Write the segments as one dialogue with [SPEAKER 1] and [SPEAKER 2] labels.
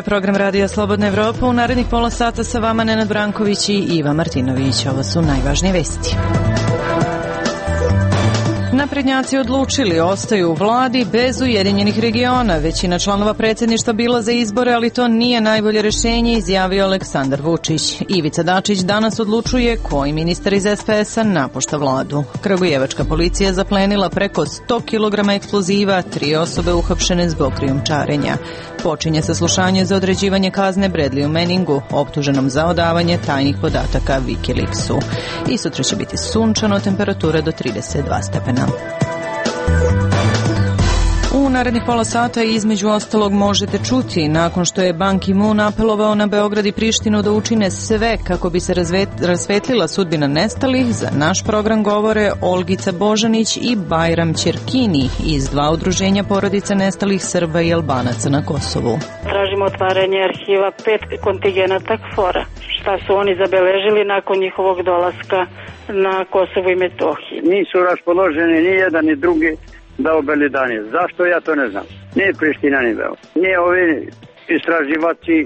[SPEAKER 1] program Radija Slobodna Evropa. U narednih pola sata sa vama Nenad Branković i Iva Martinović. Ovo su najvažnije vesti. Naprednjaci odlučili, ostaju u vladi bez Ujedinjenih regiona. Većina članova predsjedništva bila za izbore, ali to nije najbolje rješenje, izjavio Aleksandar Vučić. Ivica Dačić danas odlučuje koji ministar iz SPS-a napušta vladu. Kragujevačka policija zaplenila preko 100 kg eksploziva, 3 osobe uhapšene zbog krijumčarenja. Počinje saslušanje za određivanje kazne Bradleyu Manningu, optuženom za odavanje tajnih podataka Wikileaksu. I sutra će biti sunčano, temperatura do 32 stepena. U narednih pola sata između ostalog možete čuti, nakon što je Ban Ki-moon apelovao na Beograd i Prištinu da učine sve kako bi se rasvetlila sudbina nestalih, za naš program govore Olgica Božanić i Bajram Ćerkini iz 2 udruženja porodica nestalih Srba i Albanaca na Kosovu.
[SPEAKER 2] Tražimo otvaranje arhiva 5 kontigenata KFOR-a. Šta su oni zabeležili nakon njihovog dolaska na Kosovo i Metohiju?
[SPEAKER 3] Nisu raspoloženi ni jedan ni drugi da obelodane. Zašto, ja to ne znam. Nije Priština ni Beograd. Nije ovi istraživači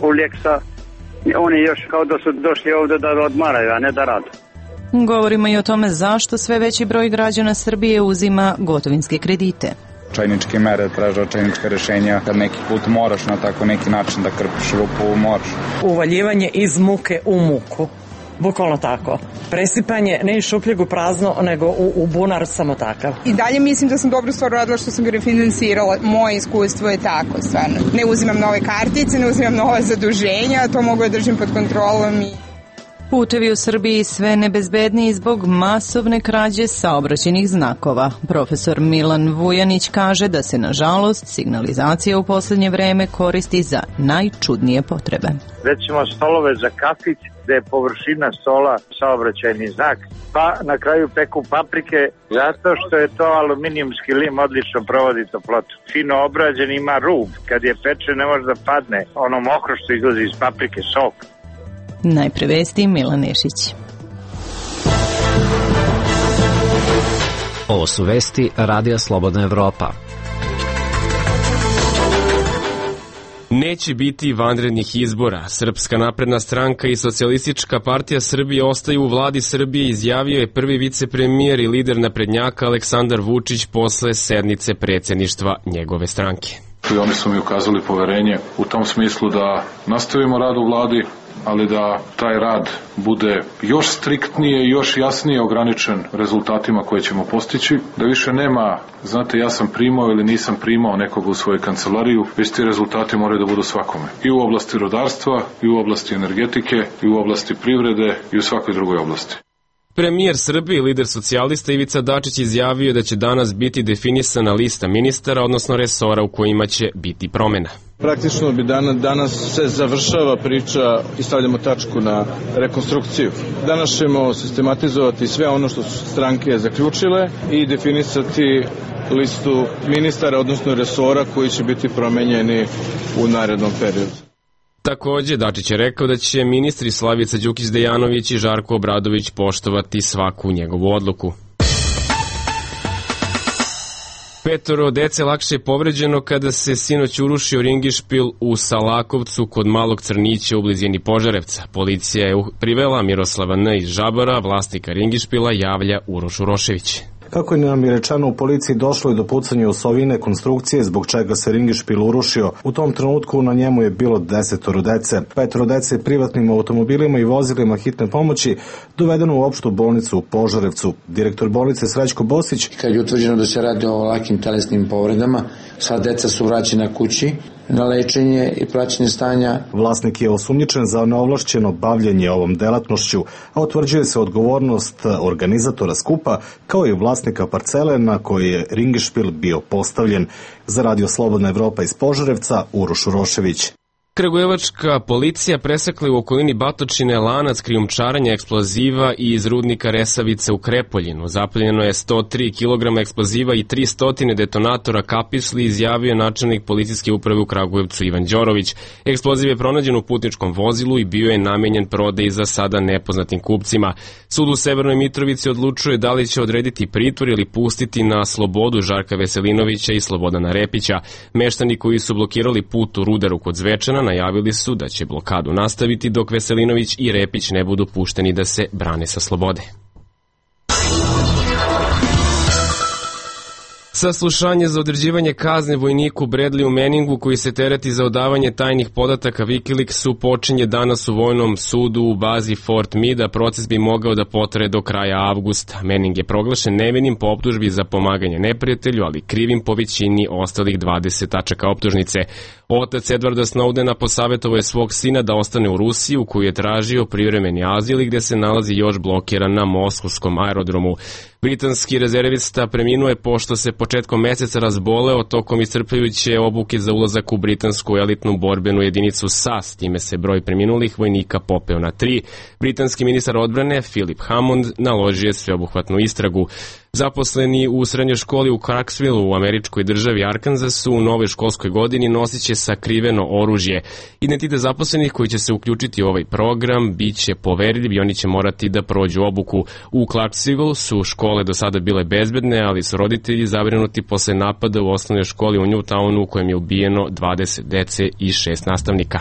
[SPEAKER 3] Uljeksa, oni još kao da su došli ovdje da odmaraju, a ne da rade.
[SPEAKER 1] Govorimo i o tome zašto sve veći broj građana Srbije uzima gotovinske kredite.
[SPEAKER 4] Čajničke mere, traže očajnička rješenja, kad neki put moraš na tako neki način da krpiš rupu, moraš.
[SPEAKER 5] Uvaljivanje iz muke u muku. Bukvalno tako. Presipanje ne iz šupljeg u prazno, nego u bunar samo takav.
[SPEAKER 6] I dalje mislim da sam dobro stvar radila što sam ga refinansirala. Moje iskustvo je tako, stvarno. Ne uzimam nove kartice, ne uzimam nova zaduženja, to mogu da držim pod kontrolom i...
[SPEAKER 1] Putevi u Srbiji sve nebezbedniji zbog masovne krađe saobraćajnih znakova. Profesor Milan Vujanić kaže da se, nažalost, signalizacija u posljednje vreme koristi za najčudnije potrebe.
[SPEAKER 7] Recimo stolove za kafić, gde je površina stola saobraćajni znak, pa na kraju peku paprike, zato što je to aluminijumski lim, odlično provodi toplotu. Fino obrađen, ima rub, kad je peče ne može da padne ono mokro što izlazi iz paprike, sok.
[SPEAKER 1] Najpre vesti Milan Nešić.
[SPEAKER 8] Ovo su vesti Radija Slobodna Evropa.
[SPEAKER 9] Neće biti vanrednih izbora. Srpska napredna stranka i Socijalistička partija Srbije ostaju u vladi Srbije, izjavio je prvi vicepremijer i lider naprednjaka Aleksandar Vučić posle sednice predsjedništva njegove stranke.
[SPEAKER 10] I oni su mi ukazali poverenje u tom smislu da nastavimo rad u vladi, ali da taj rad bude još striktnije i još jasnije ograničen rezultatima koje ćemo postići, da više nema, znate, ja sam primao ili nisam primao nekoga u svoju kancelariju, već ti rezultati moraju da budu svakome. I u oblasti rudarstva, i u oblasti energetike, i u oblasti privrede, i u svakoj drugoj oblasti.
[SPEAKER 9] Premijer Srbije i lider socijalista Ivica Dačić izjavio da će danas biti definisana lista ministara, odnosno resora u kojima će biti promjena.
[SPEAKER 11] Praktično bi danas se završava priča i stavljamo tačku na rekonstrukciju. Danas ćemo sistematizovati sve ono što su stranke zaključile i definisati listu ministara, odnosno resora koji će biti promenjeni u narednom periodu.
[SPEAKER 9] Također, Dačić je rekao da će ministri Slavica Đukić-Dejanović i Žarko Obradović poštovati svaku njegovu odluku. 5 dece lakše je povređeno kada se sinoć urušio ringišpil u Salakovcu kod Malog Crnića u blizini Požarevca. Policija je privela Miroslava N. iz Žabara, vlasnika ringišpila, javlja Uroš Urošević.
[SPEAKER 12] Kako je nam je rečeno, u policiji došlo je do pucanja osovine konstrukcije, zbog čega se ringišpil urušio. U tom trenutku na njemu je bilo 10 dece. 5 dece privatnim automobilima i vozilima hitne pomoći dovedeno u opštu bolnicu u Požarevcu. Direktor bolnice Srećko Bosić.
[SPEAKER 13] Kad je utvrđeno da se radi o lakim telesnim povredama, sva deca su vraćena kući na lečenje i praćenje stanja.
[SPEAKER 12] Vlasnik je osumnjičen za neovlašćeno bavljenje ovom delatnošću, a utvrđuje se odgovornost organizatora skupa kao i vlasnika parcele na kojoj je ringišpil bio postavljen. Za Radio Slobodna Evropa iz Požarevca, Uroš Urošević.
[SPEAKER 9] Kragujevačka policija presekla u okolini Batočine lanac krijumčarenja eksploziva iz rudnika Resavice u Krepoljinu. Zapaljeno je 103 kg eksploziva i 300 detonatora kapisli, izjavio načelnik policijske uprave u Kragujevcu Ivan Đorović. Eksploziv je pronađen u putničkom vozilu i bio je namenjen prodaji za sada nepoznatim kupcima. Sud u Severnoj Mitrovici odlučuje da li će odrediti pritvor ili pustiti na slobodu Žarka Veselinovića i Slobodana Repića. Meštani koji su blokirali put u Rudaru kod Zvečana najavili su da će blokadu nastaviti dok Veselinović i Repić ne budu pušteni da se brane sa slobode. Saslušanje za određivanje kazne vojniku Bradleyu Manningu koji se tereti za odavanje tajnih podataka Wikileaksu počinje danas u Vojnom sudu u bazi Fort Meade, a proces bi mogao da potraje do kraja avgusta. Manning je proglašen nevinim po optužbi za pomaganje neprijatelju, ali krivim po većini ostalih 20 tačaka optužnice. Otac Edwarda Snowdena posavjetovao je svog sina da ostane u Rusiji, u koju je tražio privremeni azil i gde se nalazi još blokiran na moskovskom aerodromu. Britanski rezervista preminuo je pošto se početkom meseca razboleo tokom iscrpljujuće obuke za ulazak u britansku elitnu borbenu jedinicu SAS, time se broj preminulih vojnika popeo na 3. Britanski ministar odbrane Philip Hammond naložio je sveobuhvatnu istragu. Zaposleni u srednjoj školi u Clarksville u američkoj državi Arkansasu u novoj školskoj godini nosit će sakriveno oružje. Identitet zaposlenih koji će se uključiti u ovaj program bit će poverljiv i oni će morati da prođu obuku. U Clarksville su škole do sada bile bezbedne, ali su roditelji zabrinuti posle napada u osnovnoj školi u Newtownu u kojem je ubijeno 20 dece i 6 nastavnika.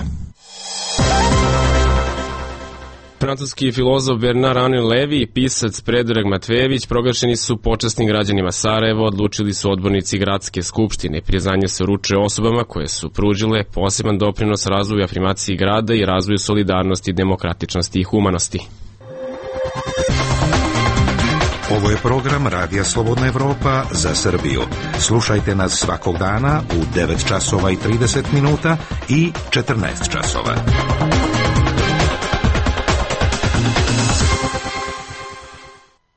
[SPEAKER 9] Francuski filozof Bernard-Henri Lévy i pisac Predrag Matvejević proglašeni su počasnim građanima Sarajeva, odlučili su odbornici Gradske skupštine. Priznanje se uručuje osobama koje su pružile poseban doprinos razvoju afirmaciji grada i razvoju solidarnosti, demokratičnosti i humanosti.
[SPEAKER 14] Ovo je program Radija Slobodna Evropa za Srbiju. Slušajte nas svakog dana u 9 časova i 30 minuta i 14 časova.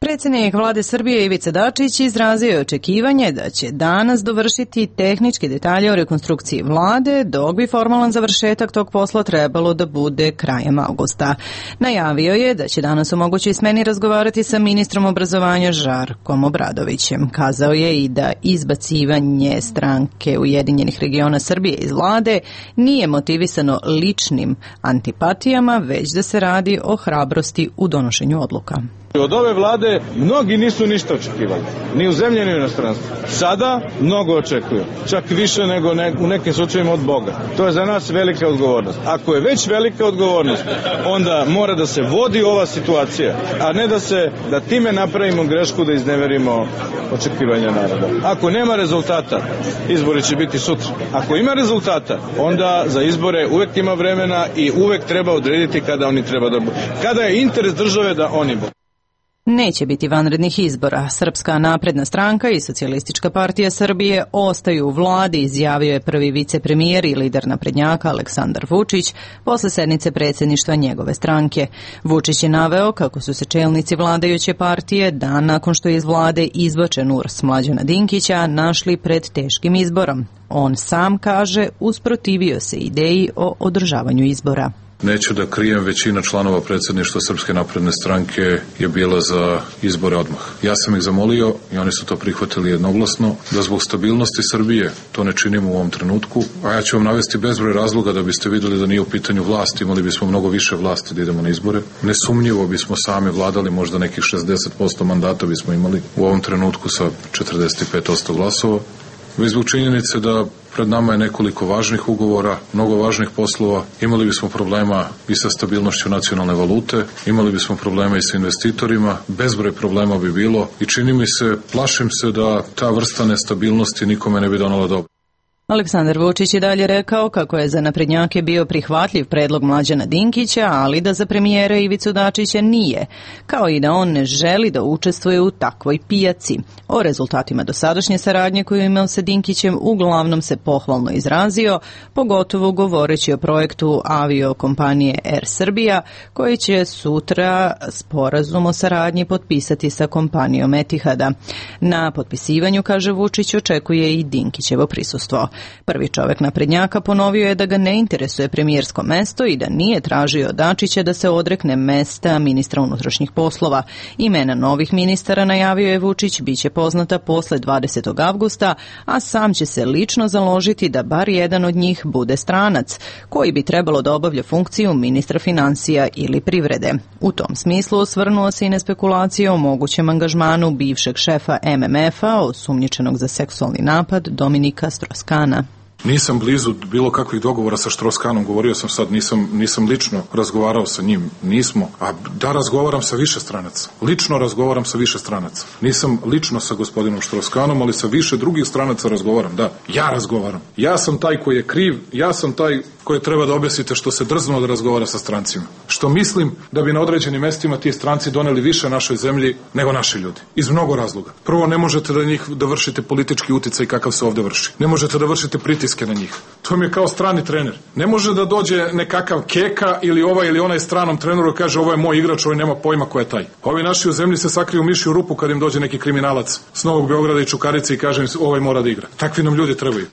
[SPEAKER 1] Predsjednik vlade Srbije Ivica Dačić izrazio je očekivanje da će danas dovršiti tehničke detalje o rekonstrukciji vlade, dok bi formalan završetak tog posla trebalo da bude krajem avgusta. Najavio je da će danas u mogućoj smeni razgovarati sa ministrom obrazovanja Žarkom Obradovićem. Kazao je i da izbacivanje stranke Ujedinjenih regiona Srbije iz vlade nije motivisano ličnim antipatijama, već da se radi o hrabrosti u donošenju odluka.
[SPEAKER 11] Od ove vlade mnogi nisu ništa očekivali, ni u zemlji ni u inostranstvu. Sada mnogo očekuju, čak više nego u nekim slučajima od Boga. To je za nas velika odgovornost. Ako je već velika odgovornost, onda mora da se vodi ova situacija, a ne da time napravimo grešku da izneverimo očekivanja naroda. Ako nema rezultata, izbori će biti sutra. Ako ima rezultata, onda za izbore uvek ima vremena i uvek treba odrediti kada oni treba da budu. Kada je interes države da oni budu.
[SPEAKER 1] Neće biti vanrednih izbora. Srpska napredna stranka i Socijalistička partija Srbije ostaju u vladi, izjavio je prvi vicepremijer i lider naprednjaka Aleksandar Vučić posle sednice predsjedništva njegove stranke. Vučić je naveo kako su se čelnici vladajuće partije dan nakon što je iz vlade izbačen URS Mlađana Dinkića našli pred teškim izborom. On sam kaže usprotivio se ideji o održavanju izbora.
[SPEAKER 10] Neću da krijem, većina članova predsjedništva Srpske napredne stranke je bila za izbore odmah. Ja sam ih zamolio i oni su to prihvatili jednoglasno, da zbog stabilnosti Srbije to ne činimo u ovom trenutku, a ja ću vam navesti bezbroj razloga da biste vidjeli da nije u pitanju vlast, imali bismo mnogo više vlasti da idemo na izbore. Nesumnjivo bismo sami vladali, možda nekih 60% mandata bismo imali u ovom trenutku sa 45% glasova. Već zbog činjenice da pred nama je nekoliko važnih ugovora, mnogo važnih poslova, imali bismo problema i sa stabilnošću nacionalne valute, imali bismo problema i sa investitorima, bezbroj problema bi bilo i čini mi se, plašim se da ta vrsta nestabilnosti nikome ne bi donala dobro.
[SPEAKER 1] Aleksandar Vučić je dalje rekao kako je za naprednjake bio prihvatljiv predlog Mlađana Dinkića, ali da za premijera Ivicu Dačića nije, kao i da on ne želi da učestvuje u takvoj pijaci. O rezultatima dosadašnje saradnje koju je imao sa Dinkićem uglavnom se pohvalno izrazio, pogotovo govoreći o projektu aviokompanije Air Srbija, koji će sutra sporazum o saradnji potpisati sa kompanijom Etihada. Na potpisivanju, kaže Vučić, očekuje i Dinkićevo prisustvo. Prvi čovek naprednjaka ponovio je da ga ne interesuje premijersko mesto i da nije tražio Dačića da se odrekne mesta ministra unutrašnjih poslova. Imena novih ministara, najavio je Vučić, biće poznata posle 20. avgusta, a sam će se lično založiti da bar jedan od njih bude stranac, koji bi trebalo da obavlja funkciju ministra finansija ili privrede. U tom smislu osvrnuo se i na spekulacije o mogućem angažmanu bivšeg šefa MMF-a, osumnjičenog za seksualni napad, Dominika Strauss-Kahna.
[SPEAKER 10] Nisam blizu bilo kakvih dogovora sa Strauss-Kahnom, govorio sam sad, nisam lično razgovarao sa njim, nismo, a da razgovaram sa više stranaca, lično razgovaram sa više stranaca, nisam lično sa gospodinom Strauss-Kahnom, ali sa više drugih stranaca razgovaram, da, ja razgovaram, ja sam taj koji je kriv, ja sam taj koje treba da objasnite što se drznuo da razgovara sa strancima, što mislim da bi na određenim mestima ti stranci doneli više našoj zemlji nego naši ljudi, iz mnogo razloga. Prvo, ne možete da vršite politički uticaj kakav se ovde vrši, ne možete da vršite pritiske na njih. To mi je kao strani trener. Ne može da dođe nekakav Keka ili ovaj ili onaj stranom treneru kaže ovo je moj igrač, ovaj nema pojma ko je taj. Ovi naši u zemlji se sakriju mišju rupu kad im dođe neki kriminalac s Novog Beograda i Čukarice i kaže im ovaj mora da igra. Takvi nam ljudi trebaju.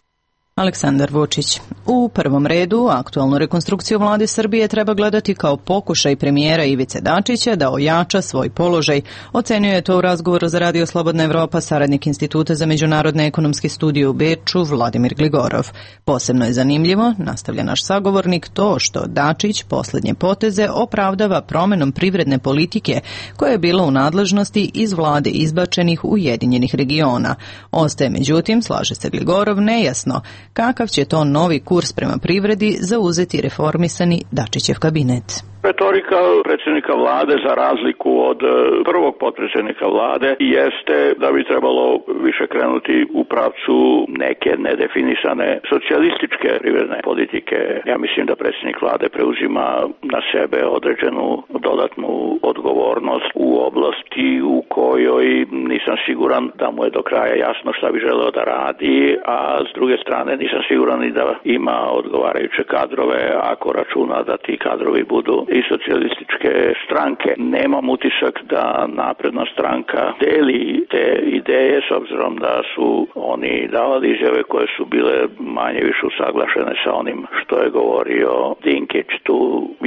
[SPEAKER 1] Aleksandar Vučić. U prvom redu, aktualnu rekonstrukciju vlade Srbije treba gledati kao pokušaj premijera Ivice Dačića da ojača svoj položaj. Ocenio je to u razgovoru za Radio Slobodna Evropa saradnik Instituta za međunarodne ekonomske studije u Beču Vladimir Gligorov. Posebno je zanimljivo, nastavlja naš sagovornik, to što Dačić posljednje poteze opravdava promenom privredne politike koja je bila u nadležnosti iz vlade izbačenih Ujedinjenih regiona. Ostaje međutim, slaže se Gligorov, nejasno kakav će to novi kurs prema privredi zauzeti reformisani Dačićev kabinet.
[SPEAKER 15] Retorika predsjednika vlade, za razliku od prvog potpredsjednika vlade, jeste da bi trebalo više krenuti u pravcu neke nedefinisane socijalističke privredne politike. Ja mislim da predsjednik vlade preuzima na sebe određenu dodatnu odgovornost u oblasti u kojoj nisam siguran da mu je do kraja jasno šta bi želeo da radi, a s druge strane nisam siguran i da ima odgovarajuće kadrove ako računa da ti kadrovi budu i socijalističke stranke. Nemam utisak da napredna stranka deli te ideje s obzirom da su oni davali izjave koje su bile manje više usaglašene sa onim što je govorio Dinkić. Tu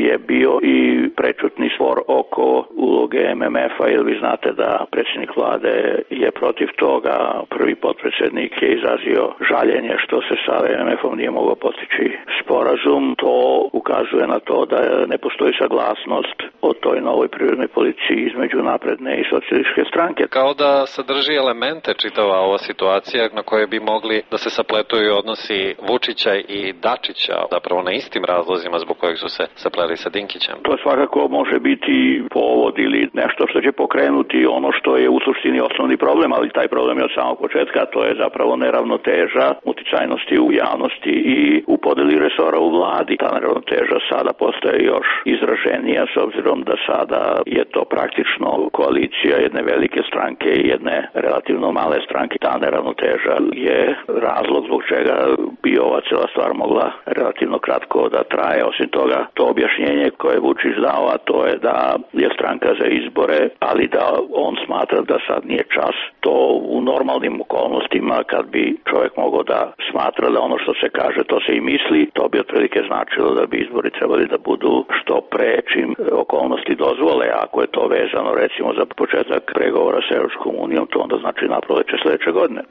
[SPEAKER 15] je bio i prečutni spor oko uloge MMF-a, jer vi znate da predsjednik vlade je protiv toga. Prvi potpredsjednik je izrazio žaljenje što se sa MMF-om nije mogao postići sporazum. To ukazuje na to da ne postoji saglasnost o toj novoj privrednoj politici između napredne i socijalističke stranke.
[SPEAKER 16] Kao da sadrži elemente čitava ova situacija na koje bi mogli da se sapletuju odnosi Vučića i Dačića, zapravo na istim razlozima zbog kojeg su se sapleli sa Dinkićem.
[SPEAKER 15] To svakako može biti povod ili nešto što će pokrenuti ono što je u suštini osnovni problem, ali taj problem je od samog početka, to je zapravo neravnoteža uticajnosti u javnosti i u podeli resora u vladi. Ta neravnoteža sada postaje još izraženija s obzirom da sada je to praktično koalicija jedne velike stranke i jedne relativno male stranke. Ta neravnoteža je razlog zbog čega bi ova cijela stvar mogla relativno kratko da traje. Osim toga, to objašnjenje koje je Vučić dao, a to je da je stranka za izbore, ali da on smatra da sad nije čas. To u normalnim okolnostima, kad bi čovjek mogao da smatra da ono što se kaže, to se i misli, to bi otprilike značilo da bi izbori trebali da budu što pre čim okolnosti dozvole. Ako je to vezano recimo za početak pregovora sa Europskom unijom, to onda znači na proleće sljedeće godine.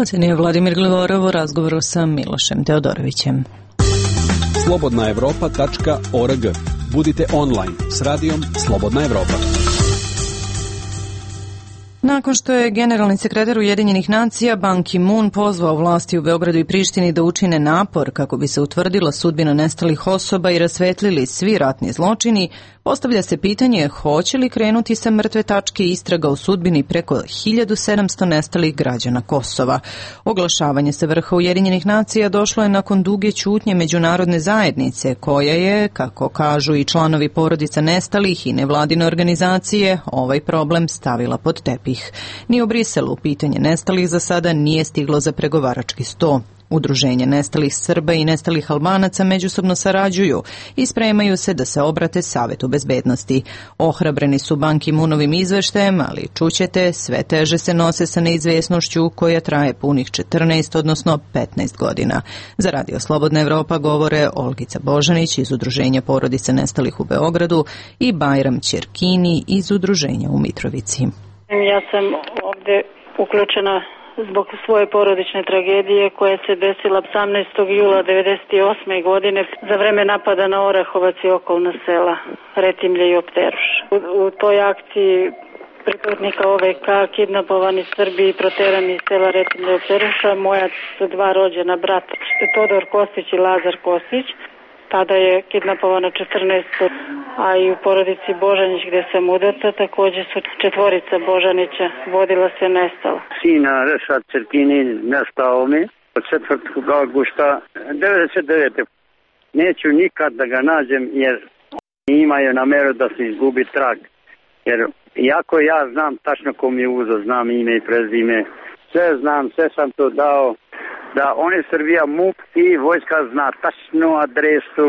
[SPEAKER 1] Ocenio Vladimir Gligorov u razgovoru sa Milošem Teodorovićem.
[SPEAKER 17] slobodnaevropa.org. Budite online s radijom Slobodna Evropa.
[SPEAKER 1] Nakon što je generalni sekretar Ujedinjenih nacija Ban Ki-moon pozvao vlasti u Beogradu i Prištini da učine napor kako bi se utvrdila sudbina nestalih osoba i rasvetlili svi ratni zločini, postavlja se pitanje hoće li krenuti sa mrtve tačke istraga o sudbini preko 1700 nestalih građana Kosova. Oglašavanje sa vrha Ujedinjenih nacija došlo je nakon duge ćutnje međunarodne zajednice, koja je, kako kažu i članovi porodica nestalih i nevladine organizacije, ovaj problem stavila pod tepih. Ni u Briselu pitanje nestalih za sada nije stiglo za pregovarački sto. Udruženje nestalih Srba i nestalih Albanaca međusobno sarađuju i spremaju se da se obrate Savetu bezbednosti. Ohrabreni su Ban Ki-moonovim izveštajem, ali čućete, sve teže se nose sa neizvjesnošću koja traje punih 14, odnosno 15 godina. Za Radio Slobodna Evropa govore Olgica Božanić iz Udruženja porodice nestalih u Beogradu i Bajram Ćerkini iz Udruženja u Mitrovici.
[SPEAKER 2] Ja sam ovde uključena zbog svoje porodične tragedije koja se desila 18. jula 1998. godine za vreme napada na Orahovac i okolna sela Retimlje i Opteruš. U toj akciji pripadnika OVK kidnapovani Srbi i proterani iz sela Retimlje i Opteruša, moja su dva rođena brata, Todor Kostić i Lazar Kostić. Tada je kidnapovana 14, a i u porodici Božanić gde sam udata također su 4 Božanića vodila se nestala.
[SPEAKER 3] Sina Rešad Ćerkini nestao mi od 4. augusta 99. Neću nikad da ga nađem jer imaju nameru da se izgubi trag. Jer iako ja znam tačno ko mi je uzo, znam ime i prezime, sve znam, sve sam to dao, da oni Srbija MUP i vojska zna tačnu adresu,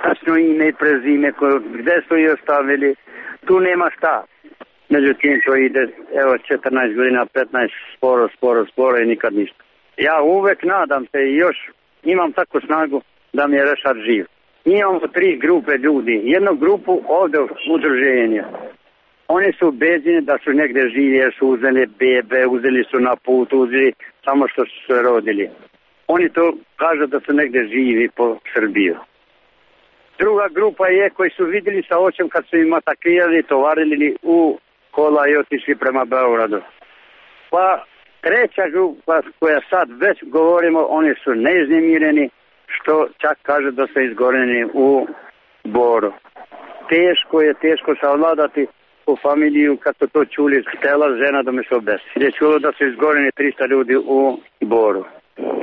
[SPEAKER 3] tačno ime i prezime, gde su ih ostavili, tu nema šta. Međutim, to ide, evo, 14 godina, 15, sporo i nikad ništa. Ja uvek nadam se i još imam takvu snagu da mi je Rešad živ. Imamo 3 grupe ljudi, jednu grupu ovde udruženja. Oni su ubeđeni da su negde živi jer su uzeli bebe, uzeli su na put, uzeli samo što su se rodili. Oni to kažu da su negde živi po Srbiju. Druga grupa je koji su vidjeli sa očem kad su im atakirali, tovarili u kola i otišli prema Beogradu. Pa treća grupa koja sad već govorimo, oni su neiznemireni, što čak kaže da su izgoreni u Boru. Teško savladati u familiju, kad su to čuli, htjela žena da me se obesi. Je čulo da su izgoreni 300 ljudi u Boru.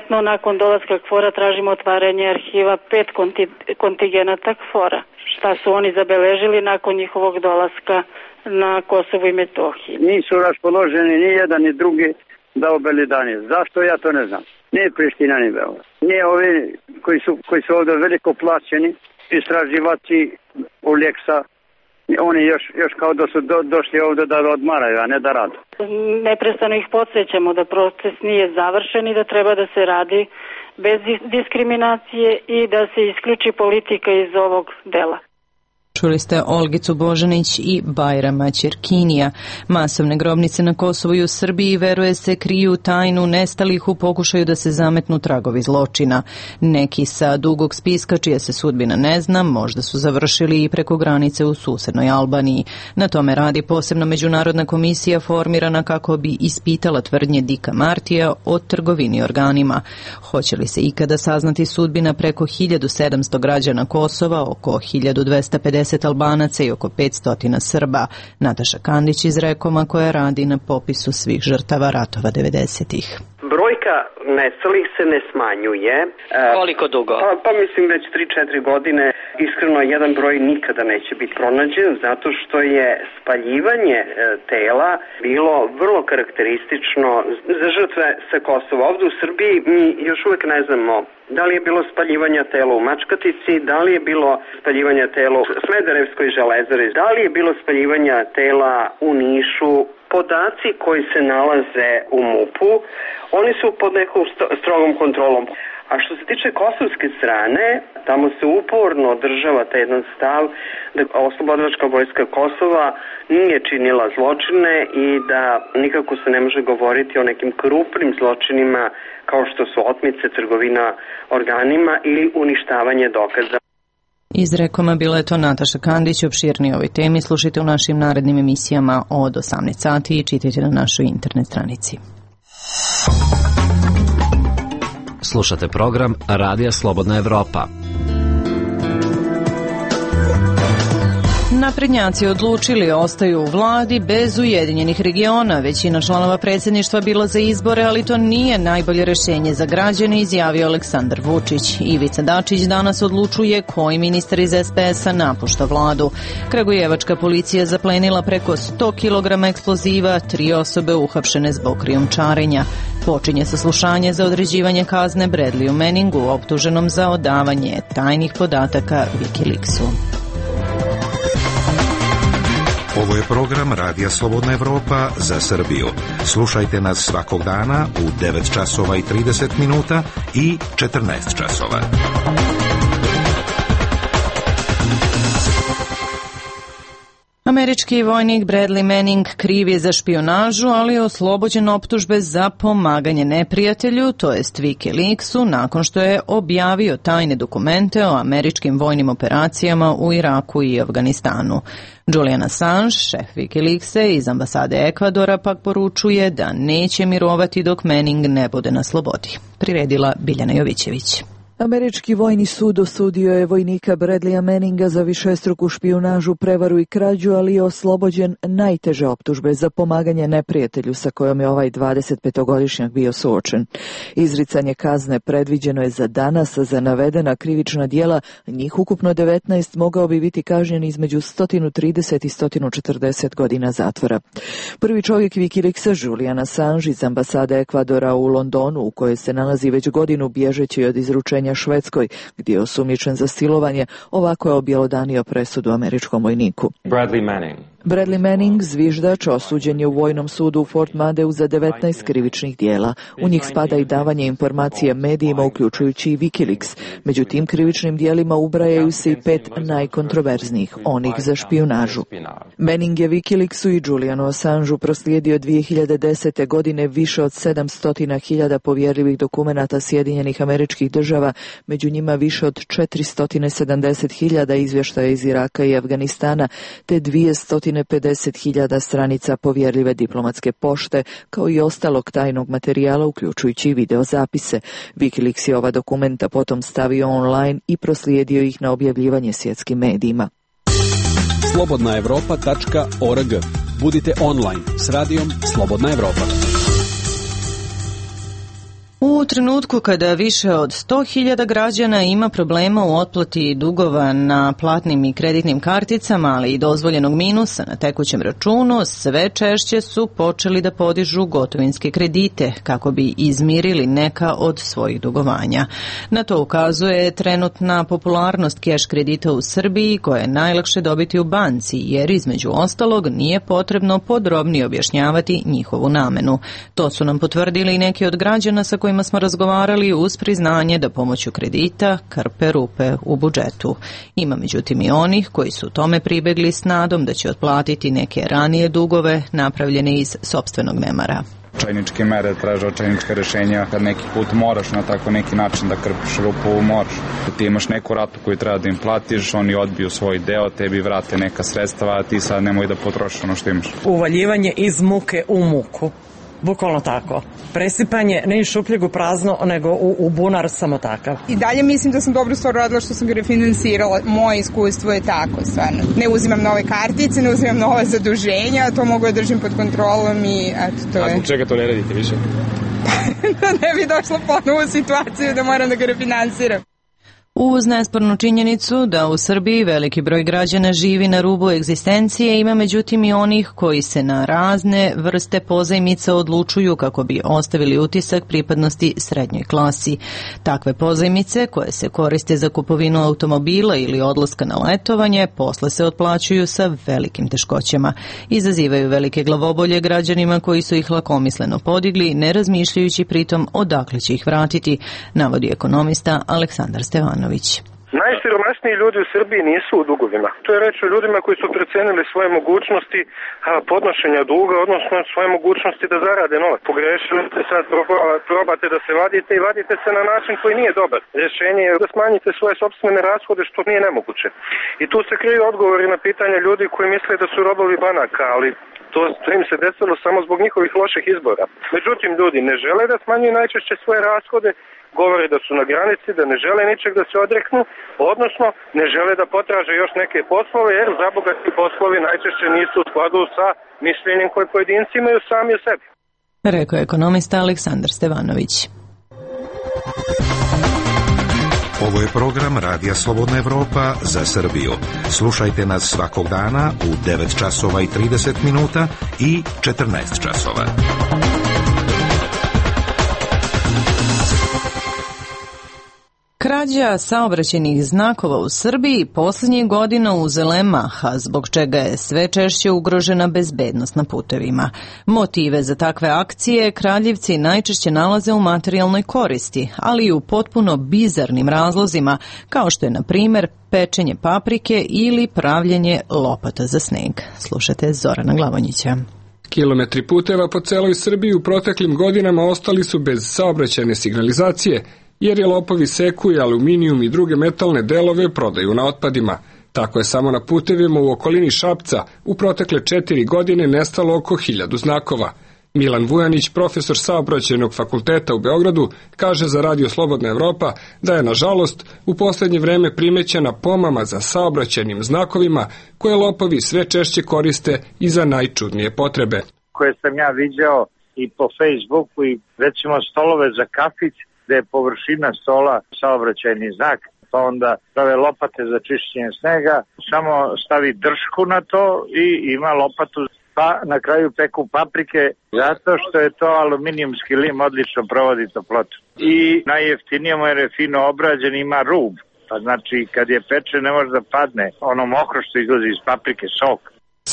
[SPEAKER 2] No, nakon dolaska KFOR-a tražimo otvaranje arhiva 5 kontigenata KFOR-a. Šta su oni zabeležili nakon njihovog dolaska na Kosovo i Metohiji?
[SPEAKER 3] Nisu raspoloženi ni jedan ni drugi da obelidanje. Zašto, ja to ne znam. Nije Priština ni Beograd. Nije ovi koji su ovdje veliko plaćeni, istraživači u Leksa. Oni još kao da su došli ovdje da odmaraju, a ne da rade.
[SPEAKER 2] Neprestano ih podsjećamo da proces nije završen i da treba da se radi bez diskriminacije i da se isključi politika iz ovog dela.
[SPEAKER 1] Čuli ste Olgicu Božanić i Bajrama Ćerkinija. Masovne grobnice na Kosovu i u Srbiji, veruje se, kriju tajnu nestalih u pokušaju da se zametnu tragovi zločina. Neki sa dugog spiska, čija se sudbina ne zna, možda su završili i preko granice u susednoj Albaniji. Na tome radi posebna međunarodna komisija formirana kako bi ispitala tvrdnje Dika Martija o trgovini organima. Hoće li se ikada saznati sudbina preko 1700 građana Kosova, oko 1250 Albanaca i oko 500 Srba? Nataša Kandić iz Rekoma, koja radi na popisu svih žrtava ratova 90-ih.
[SPEAKER 18] Brojka nestalih se ne smanjuje.
[SPEAKER 19] Koliko dugo?
[SPEAKER 18] Pa mislim već 3-4 godine. Iskreno, jedan broj nikada neće biti pronađen zato što je spaljivanje tela bilo vrlo karakteristično za žrtve sa Kosova. Ovdje u Srbiji mi još uvek ne znamo da li je bilo spaljivanja tela u Mačkatici, da li je bilo spaljivanja tela u Smederevskoj železari, da li je bilo spaljivanja tela u Nišu. Podaci koji se nalaze u MUP-u, oni su pod nekom strogom kontrolom. A što se tiče kosovske strane, tamo se uporno održava taj jedan stav da Oslobodilačka vojska Kosova nije činila zločine i da nikako se ne može govoriti o nekim krupnim zločinima kao što su otmice, trgovina organima ili uništavanje dokaza.
[SPEAKER 1] Iz Rekoma bila je to Nataša Kandić. Opširnije ovoj temi slušajte u našim narednim emisijama od 18 sati i čitajte na našoj internet stranici.
[SPEAKER 8] Slušate program Radija Slobodna Evropa.
[SPEAKER 1] naprednjaci odlučili ostaju u vladi bez Ujedinjenih regiona. Većina članova predsjedništva bila za izbore, ali to nije najbolje rješenje za građane, izjavio Aleksandar Vučić. Ivica Dačić danas odlučuje koji ministar iz SPS-a napušta vladu. Kragujevačka policija zaplenila preko 100 kg eksploziva, 3 osobe uhapšene zbog krijumčarenja. Počinje saslušanje za određivanje kazne Bradleyu Manningu, optuženom za odavanje tajnih podataka Wikileaksu.
[SPEAKER 14] Ovo je program Radija Slobodna Evropa za Srbiju. Slušajte nas svakog dana u 9 časova i 30 minuta i 14 časova.
[SPEAKER 1] Američki vojnik Bradley Manning kriv je za špijunažu, ali je oslobođen optužbe za pomaganje neprijatelju, to jest Wikileaksu, nakon što je objavio tajne dokumente o američkim vojnim operacijama u Iraku i Afganistanu. Julian Assange, šef Wikileaksa iz ambasade Ekvadora, pak poručuje da neće mirovati dok Manning ne bude na slobodi. Priredila Biljana Jovićević.
[SPEAKER 19] Američki vojni sud osudio je vojnika Bradleya Manninga za višestruku špijunažu, prevaru i krađu, ali je oslobođen najteže optužbe za pomaganje neprijatelju sa kojom je ovaj 25-godišnjak bio suočen. Izricanje kazne predviđeno je za danas, a za navedena krivična djela, njih ukupno 19, mogao bi biti kažnjen između 130 i 140 godina zatvora. Prvi čovjek Wikileaksa, Julian Assange iz ambasade Ekvadora u Londonu, u kojoj se nalazi već godinu bježeći od izručenja Švedskoj, gdje je osumnjičen za silovanje, ovako je objelodanio presudu američkom vojniku. Bradley Manning, zviždač, osuđen je u vojnom sudu u Fort Madeu za 19 krivičnih dijela. U njih spada i davanje informacije medijima, uključujući i Wikileaks. Među tim krivičnim dijelima ubrajaju se i 5 najkontroverznijih, onih za špijunažu. Manning je Wikileaksu i Julianu Assangeu proslijedio 2010. godine više od 700.000 povjerljivih dokumenata Sjedinjenih Američkih Država, među njima više od 470.000 izvještaja iz Iraka i Afganistana, te 250.000 stranica povjerljive diplomatske pošte, kao i ostalog tajnog materijala, uključujući i videozapise. Wikileaks je ova dokumenta potom stavio online i proslijedio ih na objavljivanje svjetskim medijima.
[SPEAKER 17] slobodnaevropa.org. Budite online s radijom Slobodna Evropa.
[SPEAKER 1] U trenutku kada više od 100.000 građana ima problema u otplati dugova na platnim i kreditnim karticama, ali i dozvoljenog minusa na tekućem računu, sve češće su počeli da podižu gotovinske kredite kako bi izmirili neka od svojih dugovanja. Na to ukazuje trenutna popularnost keš kredita u Srbiji, koje je najlakše dobiti u banci, jer između ostalog nije potrebno podrobnije objašnjavati njihovu namenu. To su nam potvrdili i neki od građana sa kojima smo razgovarali uz priznanje da pomoću kredita krpe rupe u budžetu. Ima međutim i onih koji su tome pribegli s nadom da će otplatiti neke ranije dugove napravljene iz sopstvenog nemara.
[SPEAKER 4] Čajničke mere traže očajnička rješenja, kad neki put moraš na tako neki način da krpiš rupu, moraš. Ti imaš neku ratu koju treba da im platiš, oni odbiju svoj deo, tebi vrate neka sredstva, a ti sad nemoj da potrošiš ono što imaš.
[SPEAKER 5] Uvaljivanje iz muke u muku. Bukvalno tako. Presipanje ne iz šupljeg u prazno, nego u bunar samo takav.
[SPEAKER 6] I dalje mislim da sam dobru stvar radila što sam ga refinansirala. Moje iskustvo je tako, stvarno. Ne uzimam nove kartice, ne uzimam nova zaduženja, to mogu da držim pod kontrolom i eto, to je.
[SPEAKER 9] A zbog čega to ne radite više?
[SPEAKER 6] Da ne bi došla ponovo u situaciju da moram da ga refinansiram.
[SPEAKER 1] Uz nespornu činjenicu da u Srbiji veliki broj građana živi na rubu egzistencije, ima međutim i onih koji se na razne vrste pozajmica odlučuju kako bi ostavili utisak pripadnosti srednjoj klasi. Takve pozajmice, koje se koriste za kupovinu automobila ili odlaska na letovanje, posle se otplaćuju sa velikim teškoćama. Izazivaju velike glavobolje građanima koji su ih lakomisleno podigli, ne razmišljajući pritom odakle će ih vratiti, navodi ekonomista Aleksandar Stevanović.
[SPEAKER 20] Najsiromašniji ljudi u Srbiji nisu u dugovima. To je reč o ljudima koji su precenili svoje mogućnosti podnošenja duga, odnosno svoje mogućnosti da zarade novac. Pogrešili ste, sad probate da se vadite i vadite se na način koji nije dobar. Rješenje je da smanjite svoje sopstvene rashode, što nije nemoguće. I tu se kriju odgovori na pitanja ljudi koji misle da su robovi banaka, ali to im se desilo samo zbog njihovih loših izbora. Međutim, ljudi ne žele da smanjuju najčešće svoje rashode govori da su na granici, da ne žele ničeg da se odreknu, odnosno ne žele da potraže još neke poslove, jer zaboga ti poslovi najčešće nisu u skladu sa mišljenjem koje pojedinci imaju sami o sebi.
[SPEAKER 1] Rekao je ekonomista Aleksandar Stevanović.
[SPEAKER 14] Ovo je program Radija Slobodna Evropa za Srbiju. Slušajte nas svakog dana u 9 časova i 30 minuta i 14 časova.
[SPEAKER 1] Krađa saobraćajnih znakova u Srbiji posljednjih godina uzela je maha, zbog čega je sve češće ugrožena bezbednost na putevima. Motive za takve akcije kraljevci najčešće nalaze u materijalnoj koristi, ali i u potpuno bizarnim razlozima, kao što je, na primjer, pečenje paprike ili pravljenje lopata za sneg. Slušate Zorana Glavonjića.
[SPEAKER 21] Kilometri puteva po celoj Srbiji u proteklim godinama ostali su bez saobraćajne signalizacije, jer je lopovi seku i aluminijum i druge metalne delove prodaju na otpadima. Tako je samo na putevima u okolini Šapca u protekle 4 godine nestalo oko 1000 znakova. Milan Vujanić, profesor saobraćajnog fakulteta u Beogradu, kaže za Radio Slobodna Evropa da je, nažalost, u posljednje vreme primećena pomama za saobraćajnim znakovima koje lopovi sve češće koriste i za najčudnije potrebe.
[SPEAKER 7] Koje sam ja viđao i po Facebooku i recimo stolove za kafić, gde je površina stola saobraćajni znak, pa onda stave lopate za čišćenje snega, samo stavi držku na to i ima lopatu, pa na kraju peku paprike, zato što je to aluminijumski lim, odlično provodi toplotu. I najjeftinije mu jer je fino obrađen, ima rub, pa znači kad je peče ne može da padne ono mokro što izlazi iz paprike, sok.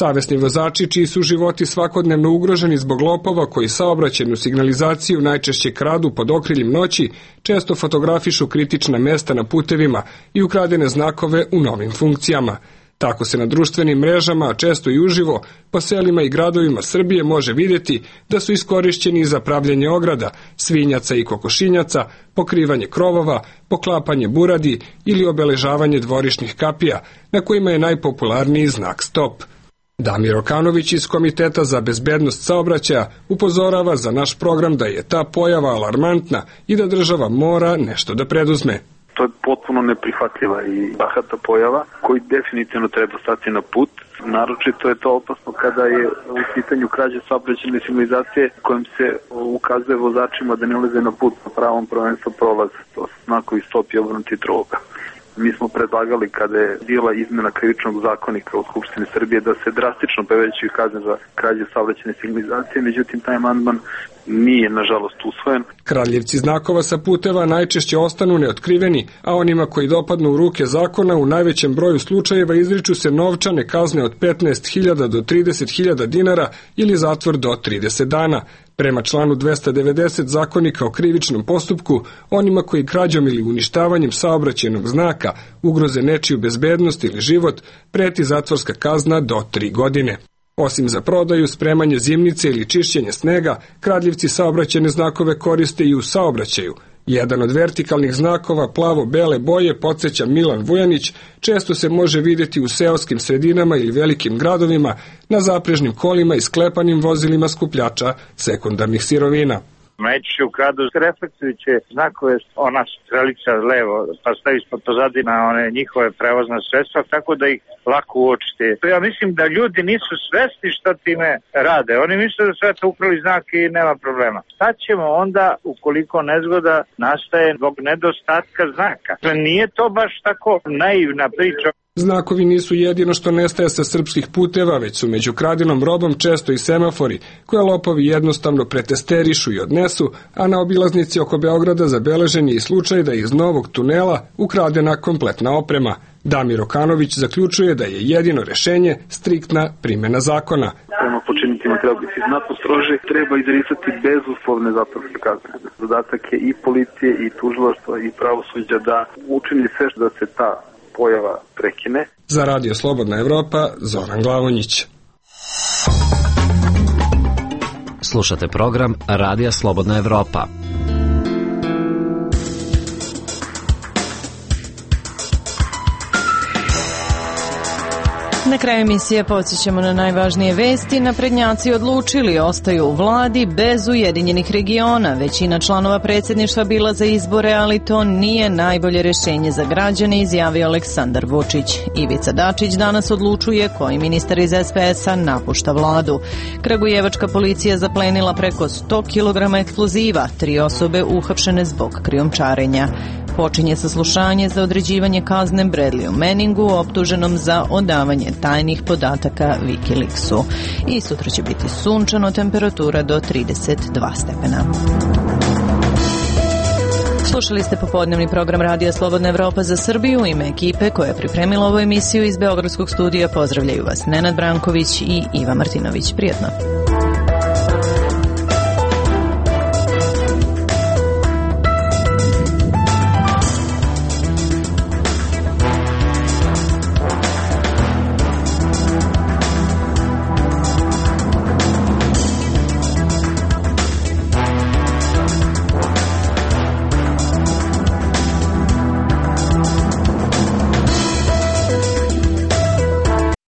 [SPEAKER 21] Savesni vozači, čiji su životi svakodnevno ugroženi zbog lopova koji saobraćajnu signalizaciju najčešće kradu pod okriljem noći, često fotografišu kritična mesta na putevima i ukradene znakove u novim funkcijama. Tako se na društvenim mrežama, a često i uživo, po selima i gradovima Srbije može vidjeti da su iskorišćeni za pravljenje ograda, svinjaca i kokošinjaca, pokrivanje krovova, poklapanje buradi ili obeležavanje dvorišnih kapija, na kojima je najpopularniji znak stop. Damir Okanović iz Komiteta za bezbednost saobraćaja upozorava za naš program da je ta pojava alarmantna i da država mora nešto da preduzme.
[SPEAKER 22] To je potpuno neprihvatljiva i bahata pojava koji definitivno treba stati na put. Naročito je to opasno kada je u pitanju krađe saobraćajne signalizacije kojim se ukazuje vozačima da ne ulaze na put na pravom prvenstvu prolaza. To su znakovi stop i obrnuti troga. Mi smo predlagali kada je bila izmena krivičnog zakonika u Skupštini Srbije da se drastično povećaju kazne za krađe saobraćajne signalizacije, međutim taj amandman nije nažalost usvojen.
[SPEAKER 21] Kradljivci znakova sa puteva najčešće ostanu neotkriveni, a onima koji dopadnu u ruke zakona u najvećem broju slučajeva izriču se novčane kazne od 15.000 do 30.000 dinara ili zatvor do 30 dana. Prema članu 290 Zakonika o krivičnom postupku, onima koji krađom ili uništavanjem saobraćajnog znaka ugroze nečiju bezbednost ili život, preti zatvorska kazna do 3 godine. Osim za prodaju, spremanje zimnice ili čišćenje snega, kradljivci saobraćajne znakove koriste i u saobraćaju. Jedan od vertikalnih znakova plavo-bele boje, podsjeća Milan Vujanić, često se može vidjeti u seoskim sredinama ili velikim gradovima na zaprežnim kolima i sklepanim vozilima skupljača sekundarnih sirovina.
[SPEAKER 7] Najčešće ukradu reflektujuće znakove, ona strelica levo, pa stavi ispod pozadina one njihove prevozna sredstva, tako da ih lako uočite. Ja mislim da ljudi nisu svesni što time rade. Oni misle da sve to ukrali znak i nema problema. Šta ćemo onda ukoliko nezgoda nastaje zbog nedostatka znaka? Nije to baš tako naivna priča.
[SPEAKER 21] Znakovi nisu jedino što nestaje sa srpskih puteva, već su među kradenom robom često i semafori, koje lopovi jednostavno pretesterišu i odnesu, a na obilaznici oko Beograda zabeležen je i slučaj da je iz novog tunela ukradena kompletna oprema. Damir Okanović zaključuje da je jedino rešenje striktna primjena zakona.
[SPEAKER 22] Prema počiniteljima treba biti znatno strože, treba izricati bezuslovne zatvorske kazne. Zadatak je i policije, i tužilaštva, i pravosuđa da učini sve da se ta pojava prekine.
[SPEAKER 21] Za Radio Slobodna Evropa, Zoran Glavonjić.
[SPEAKER 8] Slušate program Radija Slobodna Evropa.
[SPEAKER 1] Na kraju emisije podsjećamo na najvažnije vesti. Naprednjaci odlučili, ostaju u vladi bez Ujedinjenih regiona. Većina članova predsjedništva bila za izbore, ali to nije najbolje rješenje za građane, izjavio Aleksandar Vučić. Ivica Dačić danas odlučuje koji ministar iz SPS-a napušta vladu. Kragujevačka policija zaplenila preko 100 kg eksploziva, 3 osobe uhapšene zbog krijumčarenja. Počinje saslušanje za određivanje kazne Bradleyu Manningu, optuženom za odavanje tajnih podataka Wikileaksu. I sutra će biti sunčano, temperatura do 32 stepena. Slušali ste popodnevni program Radija Slobodna Evropa za Srbiju. U ime ekipe koja je pripremila ovu emisiju iz Beogradskog studija pozdravljaju vas Nenad Branković i Iva Martinović. Prijetno.